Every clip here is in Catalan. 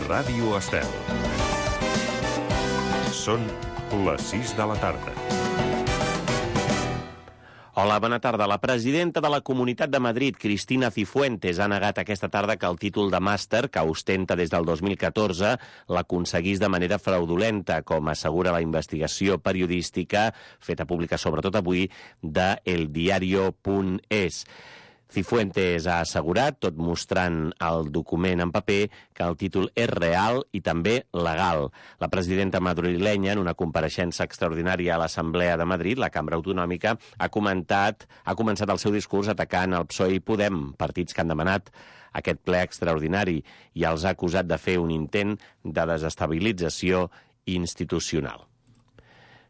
Ràdio Estel. Són les 6 de la tarda. Hola, bona tarda. La presidenta de la Comunitat de Madrid, Cristina Cifuentes, ha negat aquesta tarda que el títol de màster, que ostenta des del 2014, l'aconseguís de manera fraudulenta, com assegura la investigació periodística, feta pública sobretot avui, de eldiario.es. Cifuentes ha assegurat, tot mostrant el document en paper, que el títol és real i també legal. La presidenta madrilenya, en una compareixença extraordinària a l'Assemblea de Madrid, la cambra autonòmica, ha començat el seu discurs atacant el PSOE i Podem, partits que han demanat aquest ple extraordinari, i els ha acusat de fer un intent de desestabilització institucional.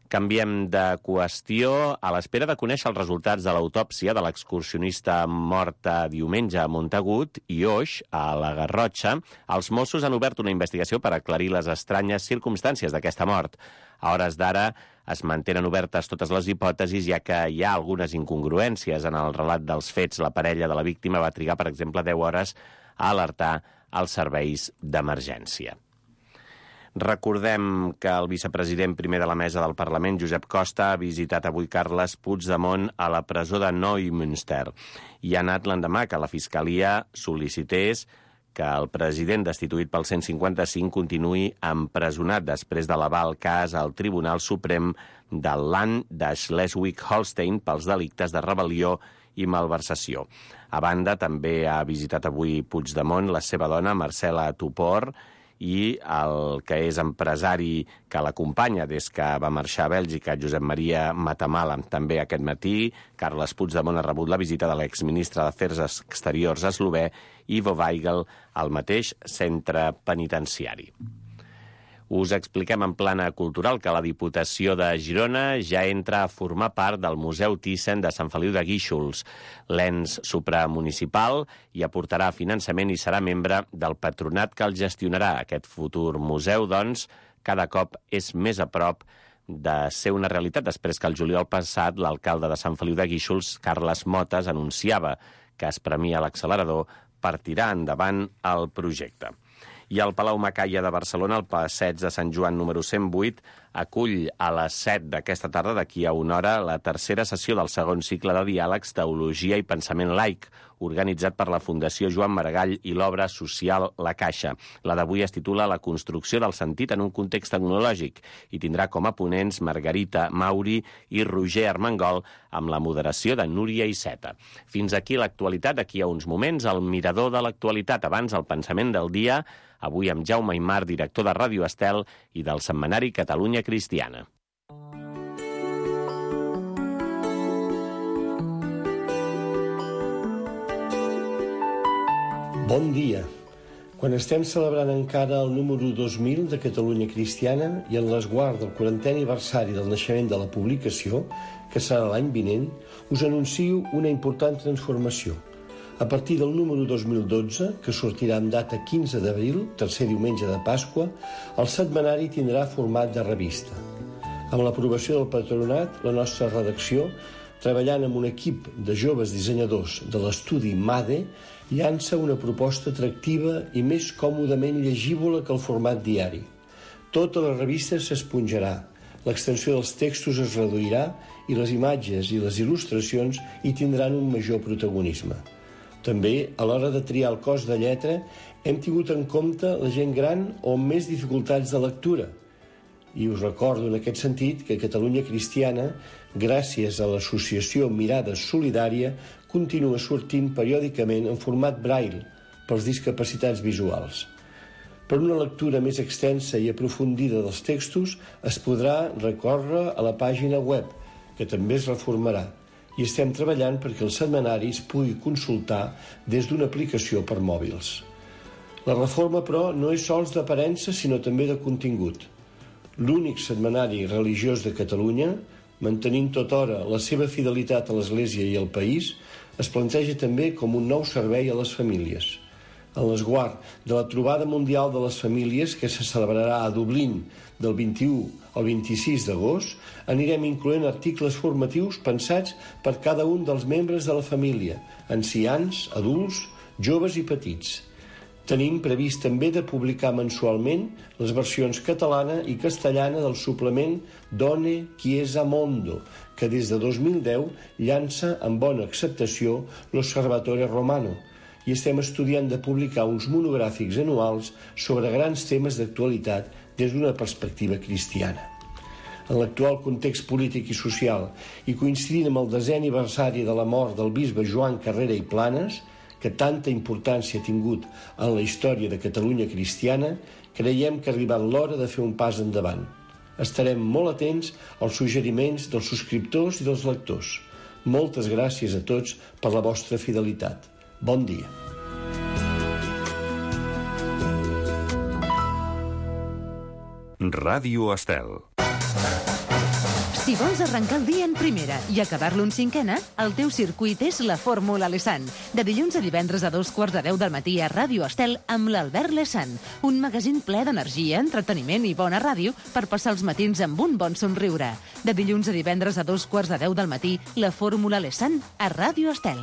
Canviem de qüestió. A l'espera de conèixer els resultats de l'autòpsia de l'excursionista morta diumenge a Montagut i Oix, a la Garrotxa, els Mossos han obert una investigació per aclarir les estranyes circumstàncies d'aquesta mort. A hores d'ara es mantenen obertes totes les hipòtesis, ja que hi ha algunes incongruències en el relat dels fets. La parella de la víctima va trigar, per exemple, 10 hores a alertar els serveis d'emergència. Recordem que el vicepresident primer de la mesa del Parlament, Josep Costa, ha visitat avui Carles Puigdemont a la presó de Neumünster i ha anat l'endemà que la Fiscalia sol·licités que el president destituït pel 155 continuï empresonat després d'elevar el cas al Tribunal Suprem del Land de Schleswig-Holstein pels delictes de rebel·lió i malversació. A banda, també ha visitat avui Puigdemont la seva dona, Marcela Tupor, i el que és empresari que l'acompanya des que va marxar a Bèlgica, Josep Maria Matamala. També aquest matí, Carles Puigdemont ha rebut la visita de l'exministre d'Afers Exteriors eslové, Ivo Weigel, al mateix centre penitenciari. Us expliquem en plana cultural que la Diputació de Girona ja entra a formar part del Museu Thyssen de Sant Feliu de Guíxols, l'ens supramunicipal, i aportarà finançament i serà membre del patronat que el gestionarà. Aquest futur museu, doncs, cada cop és més a prop de ser una realitat, després que el juliol passat l'alcalde de Sant Feliu de Guíxols, Carles Motes, anunciava que es premia l'accelerador per tirar endavant el projecte. I al Palau Macaya de Barcelona, el passeig de Sant Joan número 108, acull a les 7 d'aquesta tarda, d'aquí a una hora, la tercera sessió del segon cicle de diàlegs Teologia i Pensament Laic, organitzat per la Fundació Joan Maragall i l'obra social La Caixa. La d'avui es titula La construcció del sentit en un context tecnològic i tindrà com a ponents Margarita Mauri i Roger Armengol, amb la moderació de Núria Iceta. Fins aquí l'actualitat. D'aquí a uns moments, el mirador de l'actualitat. Abans, el pensament del dia, avui amb Jaume Aymar, director de Ràdio Estel i del setmanari Catalunya Cristiana. Bon dia. Quan estem celebrant encara el número 2000 de Catalunya Cristiana i en l'esguard del 40è aniversari del naixement de la publicació, que serà l'any vinent, us anuncio una important transformació. A partir del número 2012, que sortirà amb data 15 d'abril, tercer diumenge de Pasqua, el setmanari tindrà format de revista. Amb l'aprovació del patronat, la nostra redacció, treballant amb un equip de joves dissenyadors de l'estudi MADE, llança una proposta atractiva i més còmodament llegívola que el format diari. Tota la revista s'esponjarà, l'extensió dels textos es reduirà i les imatges i les il·lustracions hi tindran un major protagonisme. També, a l'hora de triar el cos de lletra, hem tingut en compte la gent gran o amb més dificultats de lectura. I us recordo en aquest sentit que Catalunya Cristiana, gràcies a l'associació Mirada Solidària, continua sortint periòdicament en format braille pels discapacitats visuals. Per una lectura més extensa i aprofundida dels textos es podrà recórrer a la pàgina web, que també es reformarà, i estem treballant perquè el setmanari es pugui consultar des d'una aplicació per mòbils. La reforma, però, no és sols d'aparença, sinó també de contingut. L'únic setmanari religiós de Catalunya, mantenint tota hora la seva fidelitat a l'Església i al país, es planteja també com un nou servei a les famílies. En l'esguard de la Trobada Mundial de les Famílies, que se celebrarà a Dublín del 21 al 26 d'agost, anirem incloent articles formatius pensats per cada un dels membres de la família, ancians, adults, joves i petits. Tenim previst també de publicar mensualment les versions catalana i castellana del suplement Done Chiesa Mondo, que des de 2010 llança amb bona acceptació l'Osservatore Romano, i estem estudiant de publicar uns monogràfics anuals sobre grans temes d'actualitat des d'una perspectiva cristiana. En l'actual context polític i social, i coincidint amb el 10è aniversari de la mort del bisbe Joan Carrera i Planes, que tanta importància ha tingut en la història de Catalunya cristiana, creiem que ha arribat l'hora de fer un pas endavant. Estarem molt atents als suggeriments dels subscriptors i dels lectors. Moltes gràcies a tots per la vostra fidelitat. Bon dia. Ràdio Estel. Si vols arrencar el dia en primera i acabar-lo en cinquena, el teu circuit és la Fórmula Lesan. De dilluns a divendres a 2:15 del matí a Ràdio Estel amb l'Albert Lesan. Un magazín ple d'energia, entreteniment i bona ràdio per passar els matins amb un bon somriure. De dilluns a divendres a 2:15 del matí, la Fórmula Lesan a Ràdio Estel.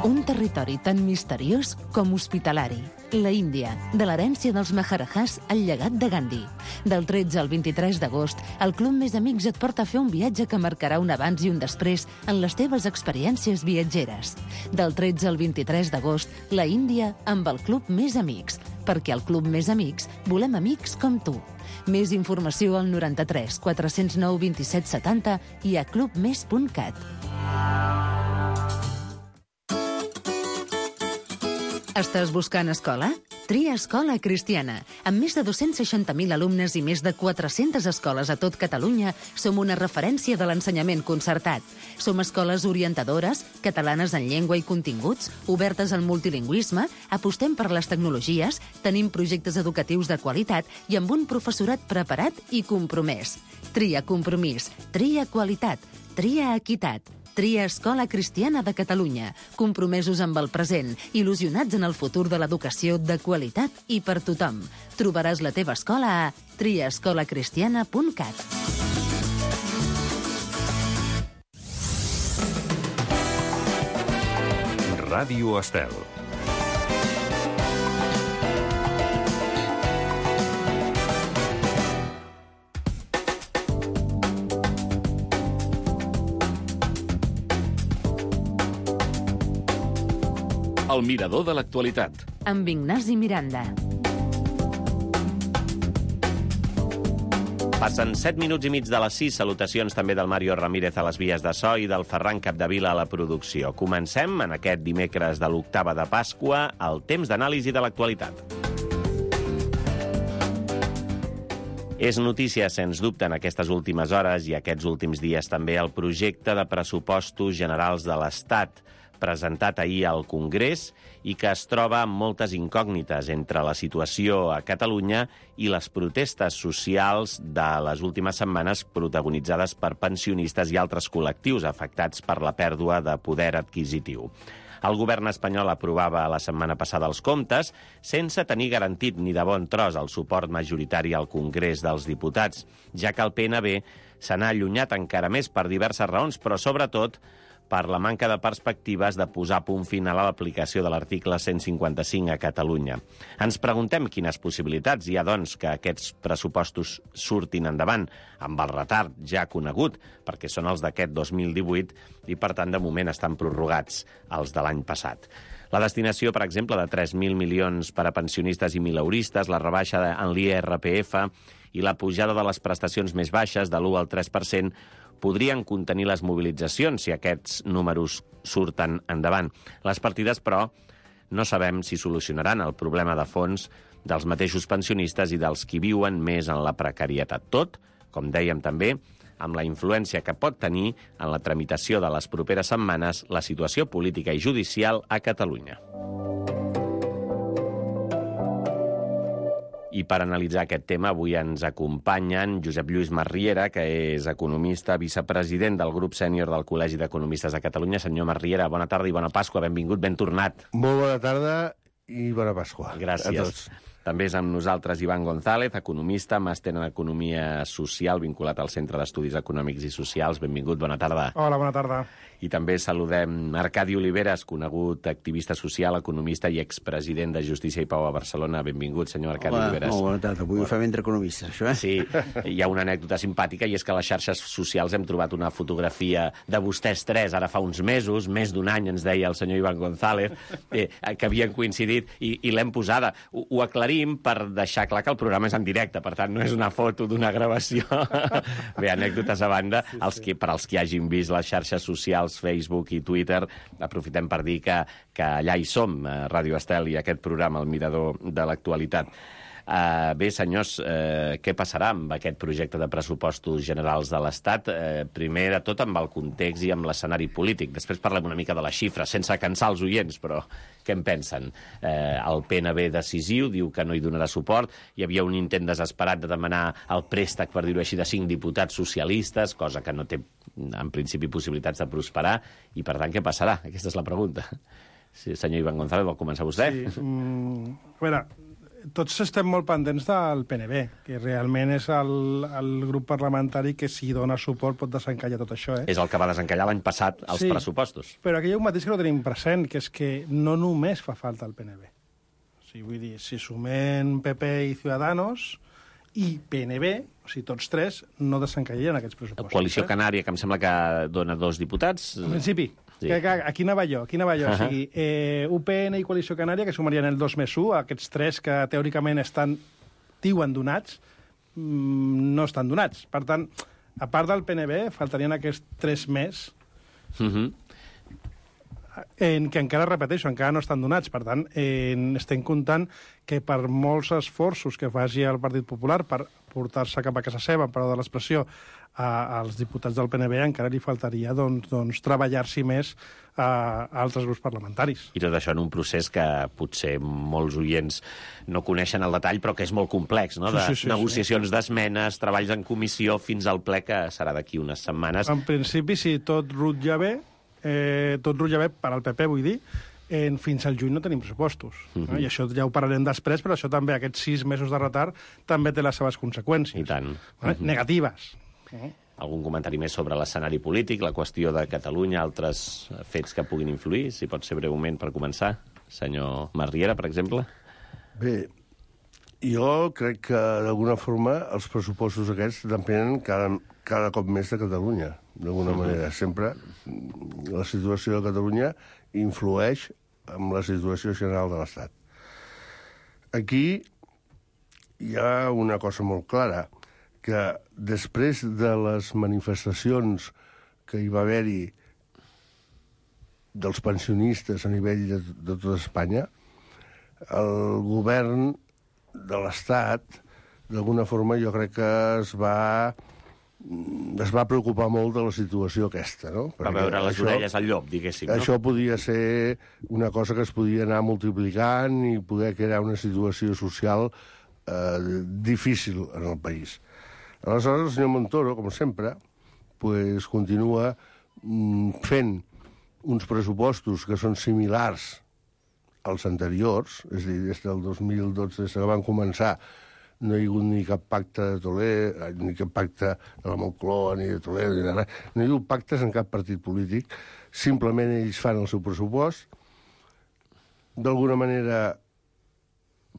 Un territori tan misteriós com hospitalari. La Índia, de l'herència dels Maharajahs al llegat de Gandhi. Del 13 al 23 d'agost, el Club Més Amics et porta a fer un viatge que marcarà un abans i un després en les teves experiències viatgeres. Del 13 al 23 d'agost, la Índia amb el Club Més Amics, perquè al Club Més Amics volem amics com tu. Més informació al 93 409 27 70 i a clubmes.cat. Estàs buscant escola? Tria Escola Cristiana. Amb més de 260.000 alumnes i més de 400 escoles a tot Catalunya, som una referència de l'ensenyament concertat. Som escoles orientadores, catalanes en llengua i continguts, obertes al multilingüisme, apostem per les tecnologies, tenim projectes educatius de qualitat i amb un professorat preparat i compromès. Tria compromís, tria qualitat, tria equitat. Tria Escola Cristiana de Catalunya, compromesos amb el present, il·lusionats en el futur de l'educació de qualitat i per tothom. Trobaràs la teva escola a triaescolacristiana.cat. Ràdio Estel. El mirador de l'actualitat. Amb Ignasi Miranda. Passen 7 minuts i mig de les 6. Salutacions també del Mario Ramírez a les vies de so i del Ferran Capdevila a la producció. Comencem en aquest dimecres de l'octava de Pasqua el temps d'anàlisi de l'actualitat. És notícia, sens dubte, en aquestes últimes hores i aquests últims dies també el projecte de pressupostos generals de l'Estat, presentat ahir al Congrés i que es troba amb moltes incògnites entre la situació a Catalunya i les protestes socials de les últimes setmanes protagonitzades per pensionistes i altres col·lectius afectats per la pèrdua de poder adquisitiu. El govern espanyol aprovava la setmana passada els comptes sense tenir garantit ni de bon tros el suport majoritari al Congrés dels Diputats, ja que el PNB se n'ha allunyat encara més per diverses raons, però sobretot per la manca de perspectives de posar punt final a l'aplicació de l'article 155 a Catalunya. Ens preguntem quines possibilitats hi ha, doncs, que aquests pressupostos surtin endavant, amb el retard ja conegut, perquè són els d'aquest 2018 i, per tant, de moment estan prorrogats els de l'any passat. La destinació, per exemple, de 3.000 milions per a pensionistes i mileuristes, la rebaixa en l'IRPF i la pujada de les prestacions més baixes de l'1 al 3%, podrien contenir les mobilitzacions si aquests números surten endavant. Les partides, però, no sabem si solucionaran el problema de fons dels mateixos pensionistes i dels qui viuen més en la precarietat. Tot, com dèiem també, amb la influència que pot tenir en la tramitació de les properes setmanes la situació política i judicial a Catalunya. I per analitzar aquest tema avui ens acompanyen Josep Lluís Masriera, que és economista, vicepresident del grup sènior del Col·legi d'Economistes de Catalunya. Senyor Masriera, bona tarda i bona Pasqua, benvingut, ben tornat. Molt bona tarda i bona Pasqua. Gràcies. A tots. També és amb nosaltres Ivan González, economista, màster en Economia Social, vinculat al Centre d'Estudis Econòmics i Socials. Benvingut, bona tarda. Hola, bona tarda. I també saludem Arcadi Oliveres, conegut activista social, economista i expresident de Justícia i Pau a Barcelona. Benvingut, senyor Arcadi Oliveres. Hola, bona tarda. Avui ho fem entre economistes, això, eh? Sí, hi ha una anècdota simpàtica, i és que a les xarxes socials hem trobat una fotografia de vostès tres, ara fa uns mesos, més d'un any, ens deia el senyor Ivan González, que havien coincidit, i l'hem posada. Ho aclarim per deixar clar que el programa és en directe, per tant, no és una foto d'una gravació. Bé, anècdotes a banda, per als que hagin vist les xarxes socials, Facebook i Twitter, aprofitem per dir que allà hi som, Ràdio Estel i aquest programa, El Mirador de l'Actualitat. Bé, senyors, què passarà amb aquest projecte de pressupostos generals de l'Estat? Primer de tot amb el context i amb l'escenari polític. Després parlem una mica de les xifres, sense cansar els oients, però què en pensen? El PNB decisiu diu que no hi donarà suport. Hi havia un intent desesperat de demanar el préstec, per dir-ho així, de 5 diputats socialistes, cosa que no té, en principi, possibilitats de prosperar. I, per tant, què passarà? Aquesta és la pregunta. Sí, senyor Ivan González, vol començar vostè? Sí, a veure, tots estem molt pendents del PNB, que realment és el grup parlamentari que, si dona suport, pot desencallar tot això. És el que va desencallar l'any passat els pressupostos. Però aquí hi ha un mateix que no tenim present, que és que no només fa falta el PNB. O sigui, vull dir, si sumem PP i Ciudadanos i PNB, o sigui, tots tres, no desencallarien aquests pressupostos. Coalició Canària, que em sembla que dona 2 diputats. En principi. Sí. Aquí anava jo. O sigui, UPN i Coalició Canària, que sumarien el 2+1, aquests tres que teòricament diuen donats, no estan donats. Per tant, a part del PNB, faltarien aquests 3 més, que encara, repeteixo, encara no estan donats. Per tant, estem comptant que per molts esforços que faci el Partit Popular per portar-se cap a casa seva, per de l'expressió, als diputats del PNB, encara li faltaria treballar-s'hi més a altres grups parlamentaris. I tot això en un procés que potser molts oients no coneixen al detall, però que és molt complex, no? Sí. Negociacions d'esmenes, treballs en comissió, fins al ple, que serà d'aquí unes setmanes. En principi, si tot rutlla bé, per al PP, vull dir, fins al juny no tenim pressupostos. I això ja ho parlarem després, però això també, aquests 6 mesos de retard, també té les seves conseqüències. I tant. Negatives. Algun comentari més sobre l'escenari polític, la qüestió de Catalunya, altres fets que puguin influir, si pot ser breument per començar? Senyor Masriera, per exemple? Bé, jo crec que d'alguna forma els pressupostos aquests depenen cada cop més de Catalunya, d'alguna manera. Sempre la situació de Catalunya influeix en la situació general de l'Estat. Aquí hi ha una cosa molt clara, que després de les manifestacions que hi va haver-hi dels pensionistes a nivell de tota Espanya, el govern de l'Estat, d'alguna forma, jo crec que es va preocupar molt de la situació aquesta, no? Va veure les orelles al llop, diguéssim, no? Això podia ser una cosa que es podia anar multiplicant i poder crear una situació social difícil en el país. Aleshores, el senyor Montoro, com sempre, continua fent uns pressupostos que són similars als anteriors, és a dir, des del 2012, des que van començar, no hi ha hagut ni cap pacte de Toledo, ni cap pacte de la Moncloa, ni de Toledo, ni de res. No hi ha hagut pactes en cap partit polític. Simplement ells fan el seu pressupost. D'alguna manera,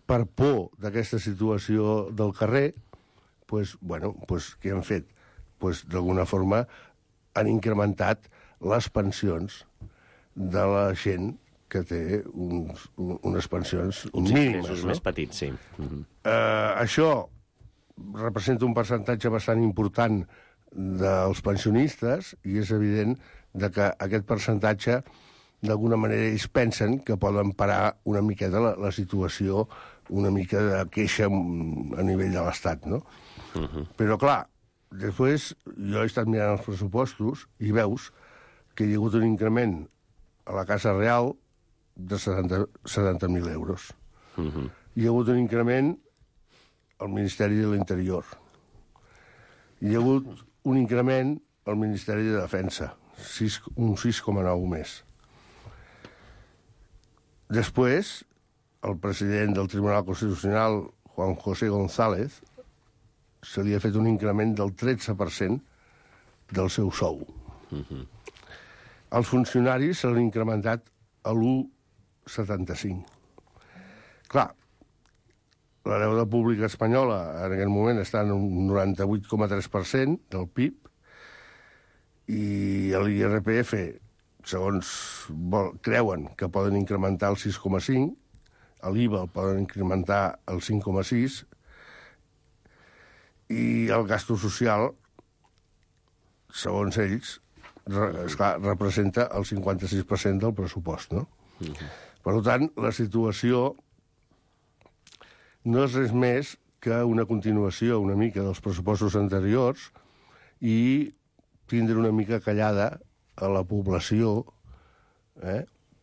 per por d'aquesta situació del carrer, què han fet? D'alguna forma han incrementat les pensions de la gent que té unes pensions mínimes. Uns més petits, sí. Això representa un percentatge bastant important dels pensionistes i és evident que aquest percentatge, d'alguna manera, ells pensen que poden parar una miqueta la situació, una mica de queixa a nivell de l'Estat, no? Però, clar, després jo he estat mirant els pressupostos i veus que hi ha hagut un increment a la Casa Real de 70.000 euros. Hi ha hagut un increment al Ministeri de l'Interior. Hi ha hagut un increment al Ministeri de Defensa, un 6,9 més. Després, el president del Tribunal Constitucional, Juan José González, se li ha fet un increment del 13% del seu sou. Els funcionaris se l'han incrementat a l'1,75. Clar, la deuda pública espanyola en aquest moment està en un 98,3% del PIB i l'IRPF, segons creuen que poden incrementar el 6,5%, l'IVA el poden incrementar el 5,6%, i el gasto social, segons ells, esclar, representa el 56% del pressupost, no? Per tant, la situació no és res més que una continuació una mica dels pressupostos anteriors i tindre una mica callada a la població,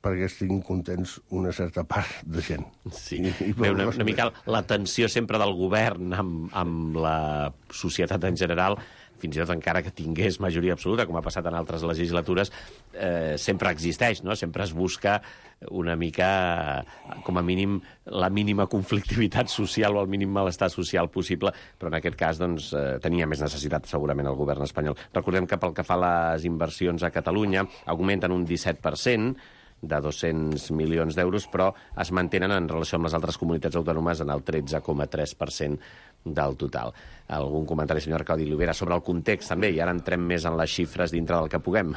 perquè estiguin contents una certa part de gent. Sí, una mica la tensió sempre del govern amb la societat en general, fins i tot encara que tingués majoria absoluta, com ha passat en altres legislatures, sempre existeix, no? Sempre es busca una mica, com a mínim, la mínima conflictivitat social o el mínim malestar social possible, però en aquest cas doncs, tenia més necessitat segurament el govern espanyol. Recordem que pel que fa a les inversions a Catalunya augmenten un 17%, de 200 milions d'euros, però es mantenen en relació amb les altres comunitats autònomes en el 13,3% del total. Algun comentari, senyor Arcadi Llobera, sobre el context també, i ara entrem més en les xifres dintre del que puguem.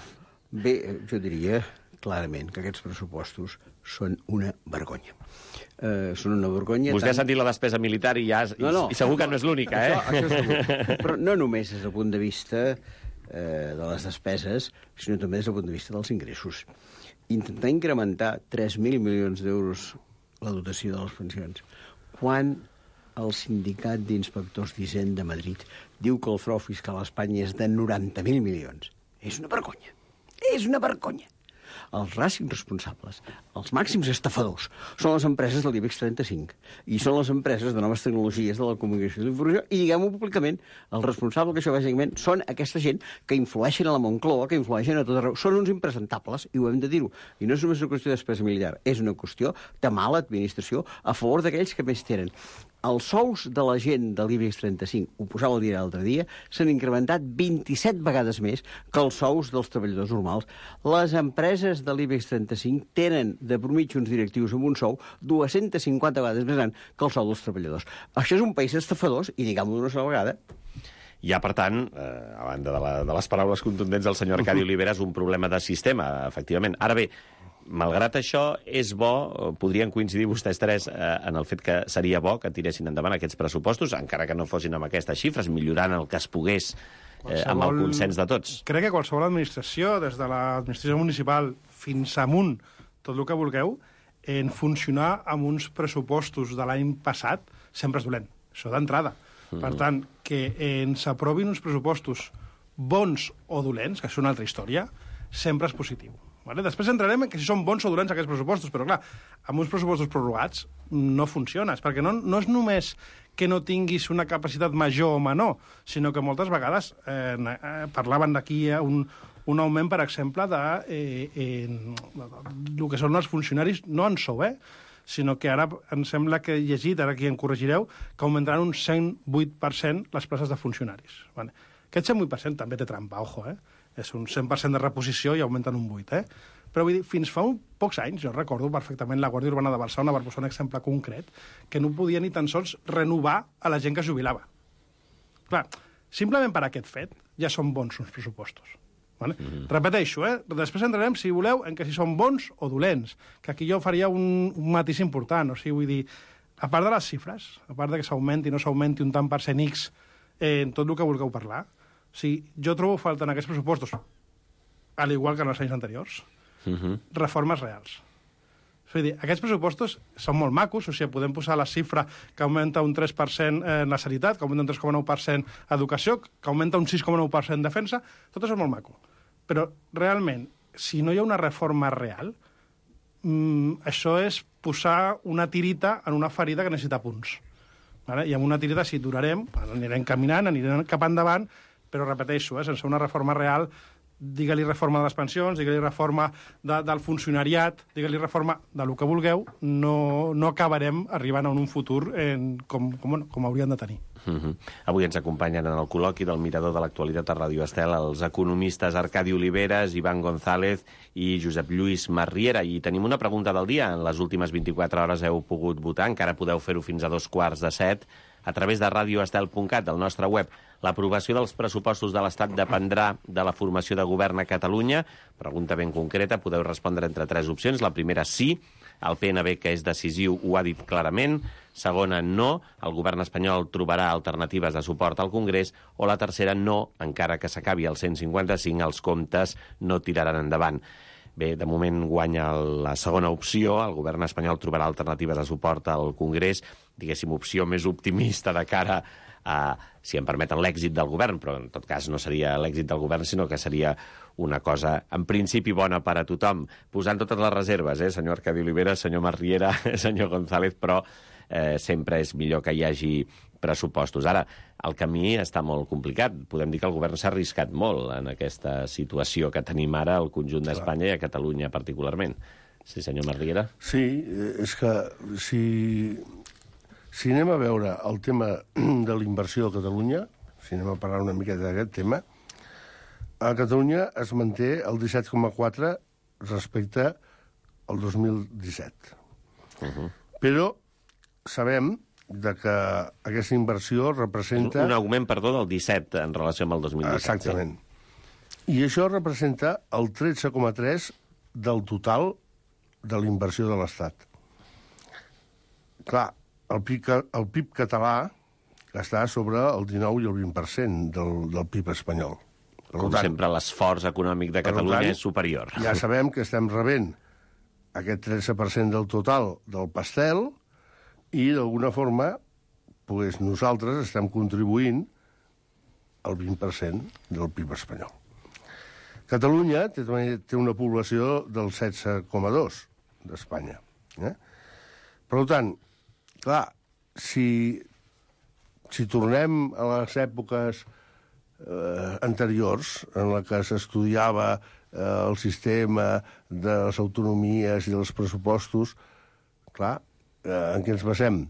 Bé, jo diria clarament que aquests pressupostos són una vergonya. Són una vergonya... Vostè ha sentit la despesa militar i segur que no és l'única, Això és segur. Però no només des del punt de vista de les despeses, sinó també des del punt de vista dels ingressos. Intentar incrementar 3.000 milions d'euros la dotació de les pensions, quan el sindicat d'inspectors d'Hisenda de Madrid diu que el frau fiscal a Espanya és de 90.000 milions. És una vergonya. És una vergonya. Els màxims responsables, els màxims estafadors, són les empreses de l'IBEX 35 i són les empreses de noves tecnologies de la comunicació i l'informació i, diguem-ho públicament, els responsables d'això bàsicament són aquesta gent que influeixen a la Moncloa, que influeixen a tot arreu. Són uns impresentables, i ho hem de dir-ho. I no és només una qüestió de despesa militar, és una qüestió de mala administració a favor d'aquells que més tenen. Els sous de la gent de l'IBEX 35, ho posava a dir l'altre dia, s'han incrementat 27 vegades més que els sous dels treballadors normals. Les empreses de l'IBEX 35 tenen de mitja uns directius amb un sou 250 vegades més gran que el sou dels treballadors. Això és un país d'estafadors, i diguem-ho d'una sola vegada. Hi ha, per tant, a banda de les paraules contundents del senyor Arcadi Olivera, és un problema de sistema, efectivament. Ara bé, malgrat això, és bo, podrien coincidir vostès tres en el fet que seria bo que tiressin endavant aquests pressupostos, encara que no fossin amb aquestes xifres, millorant el que es pogués amb el consens de tots. Crec que qualsevol administració, des de l'administració municipal fins amunt, tot el que vulgueu, en funcionar amb uns pressupostos de l'any passat sempre és dolent. Això d'entrada. Per tant, que ens aprovin uns pressupostos bons o dolents, que és una altra història, sempre és positiu. Vale? Després entrarem en que si són bons o dolents aquests pressupostos, però clar, amb uns pressupostos prorrogats no funciona, perquè no és només que no tinguis una capacitat major o menor, sinó que moltes vegades parlaven d'aquí un augment, per exemple, de el que són els funcionaris, no en sou, sinó que ara em sembla que he llegit, ara aquí em corregireu, que augmentaran un 108% les places de funcionaris. Vale. Aquest 108% també té trampa, ojo, És un 100% de reposició i augmenten un 8%, Però vull dir, fins fa pocs anys, jo recordo perfectament la Guàrdia Urbana de Barcelona, per posar un exemple concret, que no podia ni tan sols renovar a la gent que es jubilava. Clar, simplement per aquest fet ja són bons uns pressupostos. Vale? Repeteixo, després entrarem, si voleu, en que si són bons o dolents, que aquí jo faria un matís important, o sigui, vull dir, a part de les xifres, a part de que s'augmenti o no s'augmenti un tant per cent X en tot el que vulgueu parlar, o sigui, jo trobo falta en aquests pressupostos, al igual que en els anys anteriors, reformes reals. És a dir, aquests pressupostos són molt macos, o sigui, podem posar la xifra que augmenta un 3% en la sanitat, que augmenta un 3,9% educació, que augmenta un 6,9% defensa, tot això és molt maco. Però, realment, si no hi ha una reforma real, això és posar una tirita en una ferida que necessita punts. Vale? I amb una tirita sí durarem, anirem caminant, anirem cap endavant, però repeteixo, sense una reforma real digue-li reforma de les pensions, digue-li reforma del funcionariat, digue-li reforma de lo que vulgueu, no acabarem arribant a un futur com hauríem de tenir. Avui ens acompanyen en el col·loqui del Mirador de l'Actualitat a Ràdio Estel els economistes Arcadi Oliveres, Iván González i Josep Lluís Marriera. I tenim una pregunta del dia. En les últimes 24 hores heu pogut votar, encara podeu fer-ho fins a 7:15, a través de radioestel.cat, del nostre web. L'aprovació dels pressupostos de l'Estat dependrà de la formació de govern a Catalunya. Pregunta ben concreta, podeu respondre entre 3 opcions. La primera, sí. El PNB, que és decisiu, ho ha dit clarament. Segona, no. El govern espanyol trobarà alternatives de suport al Congrés. O la tercera, no. Encara que s'acabi el 155, els comptes no tiraran endavant. Bé, de moment guanya la segona opció. El govern espanyol trobarà alternatives de suport al Congrés. Diguéssim, opció més optimista de cara a, si em permeten, l'èxit del govern, però en tot cas no seria l'èxit del govern, sinó que seria una cosa, en principi, bona per a tothom. Posant totes les reserves, senyor Arcadi Oliveres, senyor Marriera, senyor González, però sempre és millor que hi hagi pressupostos. Ara, el camí està molt complicat. Podem dir que el govern s'ha arriscat molt en aquesta situació que tenim ara al conjunt d'Espanya i a Catalunya particularment. Sí, senyor Marriera? Sí, és que si anem a veure el tema de la inversió a Catalunya, si anem a parlar una miqueta d'aquest tema, a Catalunya es manté el 17,4 respecte al 2017. Però sabem que aquesta inversió representa... Un augment, perdó, del 17 en relació amb el 2017. Exactament. I això representa el 13,3 del total de la inversió de l'Estat. Clar, el PIB català està sobre el 19 i el 20% del PIB espanyol. Com sempre, l'esforç econòmic de Catalunya és superior. Ja sabem que estem rebent aquest 13% del total del pastel i, d'alguna forma, nosaltres estem contribuint al 20% del PIB espanyol. Catalunya té una població del 16,2 d'Espanya. Per tant, clar, si tornem a les èpoques anteriors, en la que s'estudiava el sistema de les autonomies i dels pressupostos, clar, en què ens basem?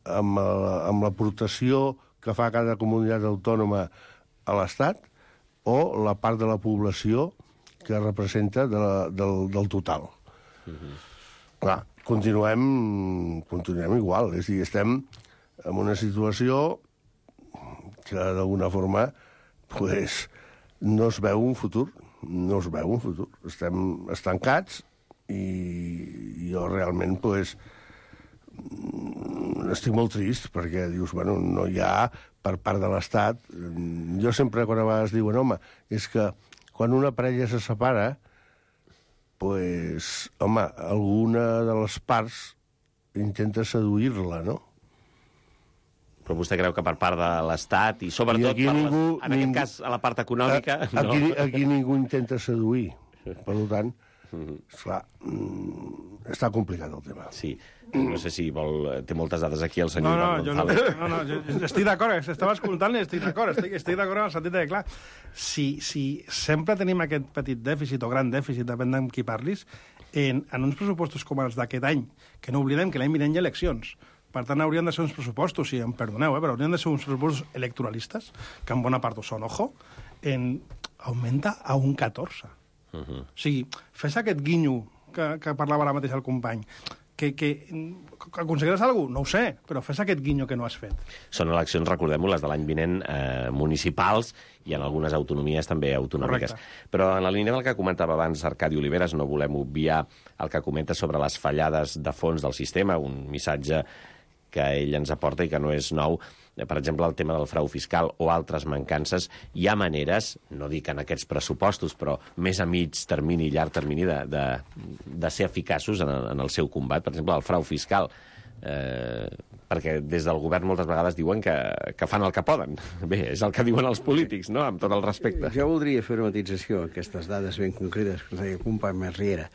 Amb l'aportació que fa cada comunitat autònoma a l'Estat o la part de la població que representa del total. Clar, continuem igual. És a dir, estem en una situació que, d'alguna forma, no es veu un futur. No es veu un futur. Estem estancats i jo realment, estic molt trist, perquè dius, no hi ha per part de l'Estat. Jo sempre, quan a vegades diuen, home, és que quan una parella se separa, alguna de les parts intenta seduir-la, no? Però vostè creu que per part de l'Estat i sobretot, en aquest cas, a la part econòmica... Aquí ningú intenta seduir. Per tant, esclar, està complicat el tema. Sí. No sé si té moltes dades aquí el senyor Iván González. No, jo estic d'acord, estava escoltant i estic d'acord en el sentit de que, clar, si sempre tenim aquest petit dèficit o gran dèficit, depèn amb qui parlis, en uns pressupostos com els d'aquest any, que no oblidem que l'any vinent hi ha eleccions, per tant haurien de ser uns pressupostos, si em perdoneu, però haurien de ser uns pressupostos electoralistes, que en bona part ho són, augmenta a un 14. O sigui, fes aquest guinyo que parlava ara mateix el company, que aconseguiràs alguna cosa? No ho sé, però fes aquest guinyo que no has fet. Són eleccions, recordem-ho, les de l'any vinent municipals i en algunes autonomies també autonòmiques. Correcte. Però en la línia del que comentava abans Arcadi Oliveres, no volem obviar el que comenta sobre les fallades de fons del sistema, un missatge que ell ens aporta i que no és nou. Per exemple, el tema del frau fiscal o altres mancances. Hi ha maneres, no dic en aquests pressupostos, però més a mig termini i llarg termini de ser eficaços en el seu combat. Per exemple, el frau fiscal. Perquè des del govern moltes vegades diuen que fan el que poden. Bé, és el que diuen els polítics, no?, amb tot el respecte. Jo voldria fer una matització, aquestes dades ben concretes que ens deia el company Marriera.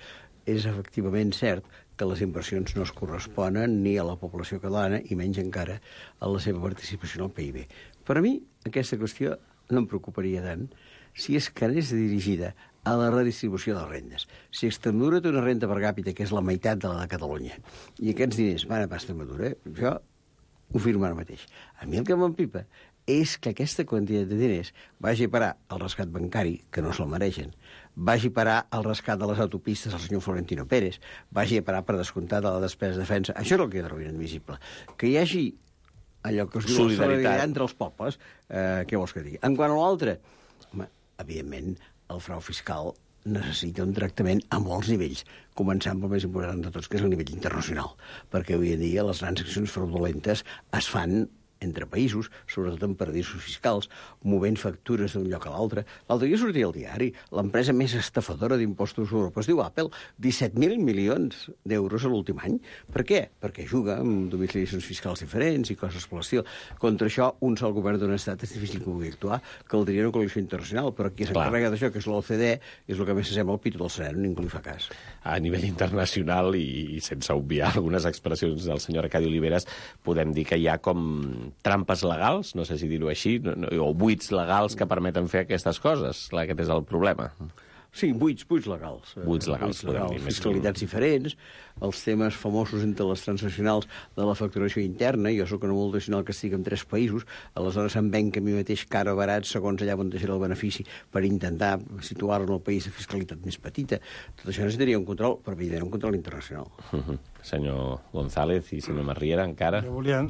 És efectivament cert que les inversions no es corresponen ni a la població catalana i menys encara a la seva participació en el PIB. Per a mi, aquesta qüestió no em preocuparia tant si és que anés dirigida a la redistribució de rendes. Si Extremadura té una renda per càpita que és la meitat de la de Catalunya, i aquests diners van a Extremadura, jo ho firmo ara mateix. A mi el que m'empipa és que aquesta quantitat de diners vagi a parar al rescat bancari, que no se'l mereixen, vagi a parar al rescat de les autopistes al senyor Florentino Pérez, vagi a parar per descomptar de la despesa de defensa. Això és el que trobo inadmissible. Que hi hagi allò que es diu solidaritat entre els pobles, què vols que digui? En quant a l'altre, evidentment, el frau fiscal necessita un tractament a molts nivells, començant pel més important de tots, que és el nivell internacional, perquè avui en dia les grans accions fraudulentes es fan entre països, sobretot en paradisos fiscals, movent factures d'un lloc a l'altre. L'altre dia sortia al diari, l'empresa més estafadora d'impostos a Europa es diu Apple, 17.000 milions d'euros a l'últim any. Per què? Perquè juga amb domiciliacions fiscals diferents i coses per l'estil. Contra això, un sol govern d'un estat és difícil que pugui actuar, caldria una coalició internacional, però qui s'encarrega d'això, que és l'OCDE, és el que més s'assembla al pito del sereno, ningú li fa cas. A nivell internacional, i sense obviar algunes expressions del senyor Arcadi Oliveres, podem dir que hi ha com trampes legals, no sé si dir-ho així, o buits legals que permeten fer aquestes coses. Aquest és el problema. Sí, buits legals. Buits legals, podem dir. Fiscalitats diferents, els temes famosos entre les transnacionals de la facturació interna. Jo soc una multinacional que estic en 3 països, aleshores em venc a mi mateix car o barat segons allà on deixaré el benefici per intentar situar-lo en el país de fiscalitat més petita. Tot això necessitaria un control, però evidentment un control internacional. Senyor González i senyor Marriera, encara? Jo volia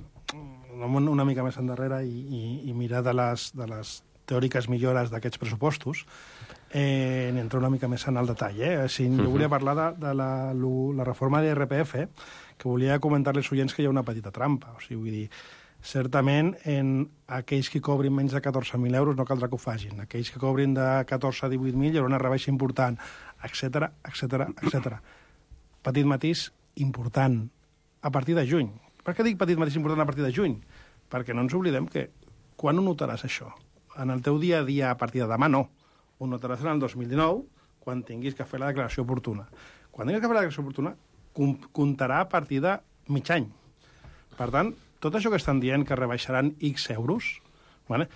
una mica més endarrere i mirar de les teòriques millores d'aquests pressupostos, entrar una mica més en el detall. Jo volia parlar de la reforma de l'IRPF, que volia comentar-les als oients que hi ha una petita trampa. O sigui, vull dir, certament, en aquells que cobrin menys de 14.000 euros no caldrà que ho facin. Aquells que cobrin de 14 a 18.000 hi haurà una rebaixa important, etc etc. Petit matís important a partir de juny. Per què dic petit matís important a partir de juny? Perquè no ens oblidem que quan ho notaràs això? En el teu dia a dia a partir de demà no. Ho notaràs en el 2019, quan tinguis que fer la declaració oportuna. Quan tinguis que fer la declaració oportuna, comptarà a partir de mig any. Per tant, tot això que estan dient que rebaixaran X euros, vale?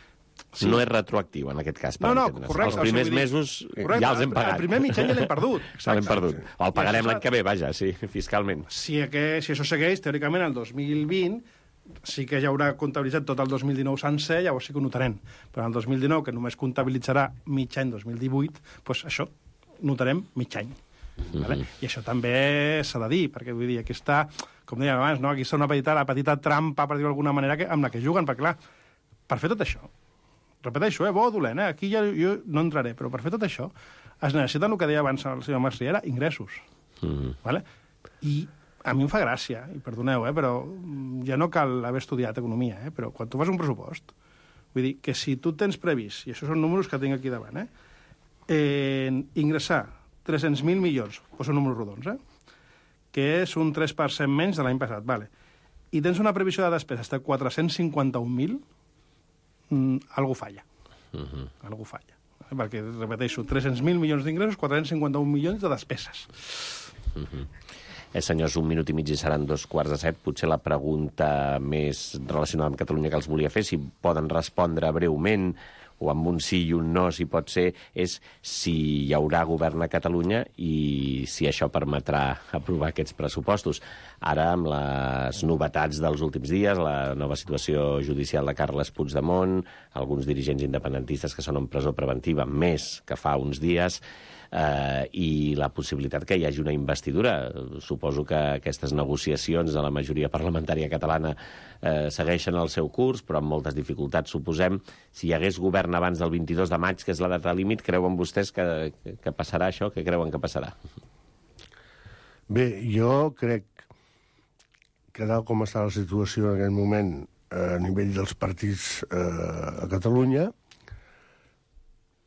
Sí. No és retroactiu, en aquest cas, per entendre's. Correcte. Els primers mesos ja els hem pagat. El primer mig any ja l'hem perdut. L'hem perdut. O el pagarem l'any que ve, vaja, sí, fiscalment. Si això segueix, teòricament, el 2020 sí que ja haurà comptabilitzat tot el 2019 sencer, llavors sí que ho notarem. Però en el 2019, que només comptabilitzarà mig any 2018, doncs això, notarem mig any. Vale? I això també s'ha de dir, perquè vull dir, aquí està, com dèiem abans, no? Aquí està una petita trampa, per dir-ho d'alguna manera, amb la que juguen, perquè clar, per fer tot això, repeteixo, bo o dolent, aquí ja jo no entraré, però per fer tot això es necessiten, el que deia abans el senyor Masriera, ingressos. Vale? I a mi em fa gràcia, i perdoneu, però ja no cal haver estudiat economia, però quan tu fas un pressupost, vull dir que si tu tens previst, i això són números que tinc aquí davant, ingressar 300.000 milions, doncs són números rodons, que és un 3% menys de l'any passat, vale. I tens una previsió de despeses de 451.000, algú falla. Algú falla. Perquè, repeteixo, 300.000 milions d'ingressos, 451 milions de despeses. Senyors, 1 minut i mig i seran 6:45. Potser la pregunta més relacionada amb Catalunya que els volia fer, si poden respondre breument o amb un sí i un no, si pot ser, és si hi haurà govern a Catalunya i si això permetrà aprovar aquests pressupostos. Ara, amb les novetats dels últims dies, la nova situació judicial de Carles Puigdemont, alguns dirigents independentistes que són en presó preventiva més que fa uns dies, i la possibilitat que hi hagi una investidura. Suposo que aquestes negociacions de la majoria parlamentària catalana segueixen el seu curs, però amb moltes dificultats, suposem. Si hi hagués govern abans del 22 de maig, que és la data límit, creuen vostès que passarà això? Què creuen que passarà? Bé, jo crec que tal com està la situació en aquest moment a nivell dels partits a Catalunya,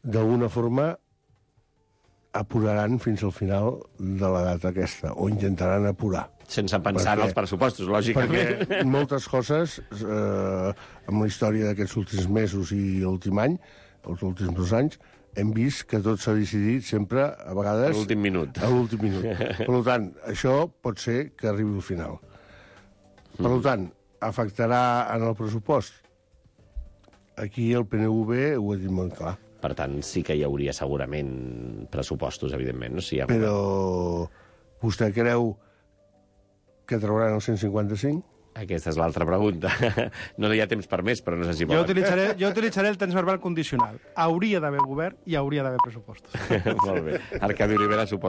d'alguna forma apuraran fins al final de la data aquesta, o intentaran apurar. Sense pensar en els pressupostos, lògicament. Perquè moltes coses, amb la història d'aquests últims mesos i l'últim any, els últims 2 anys, hem vist que tot s'ha decidit sempre, a vegades... A l'últim minut. A l'últim minut. Per tant, això pot ser que arribi al final. Per tant, afectarà en el pressupost? Aquí el PNV ho ha dit molt clar. Per tant, sí que hi hauria segurament pressupostos, evidentment. No? Si hi ha Però vostè creu que trauran el 155? Aquesta és l'altra pregunta. No hi ha temps per més, però no sé si Jo volen. utilitzaré el temps verbal condicional. Hauria d'haver govern i hauria d'haver pressupostos. Molt bé. Arcadi Olivera, suposo